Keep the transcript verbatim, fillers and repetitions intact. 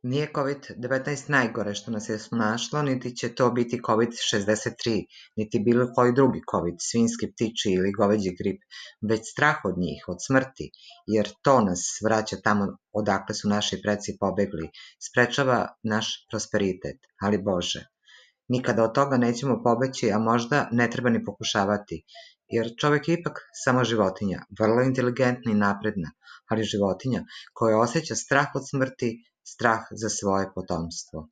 Nije kovid devetnaest najgore što nas je snašlo, niti će to biti kovid šezdeset tri, niti bilo koji drugi kovid, svinjski, ptičji ili goveđi grip, već strah od njih, od smrti, jer to nas vraća tamo odakle su naši preci pobegli, sprečava naš prosperitet, ali Bože. Nikada od toga nećemo pobeći, a možda ne treba ni pokušavati, jer čovek je ipak samo životinja, vrlo inteligentna i napredna, ali životinja koja osjeća strah od smrti, strah za svoje potomstvo.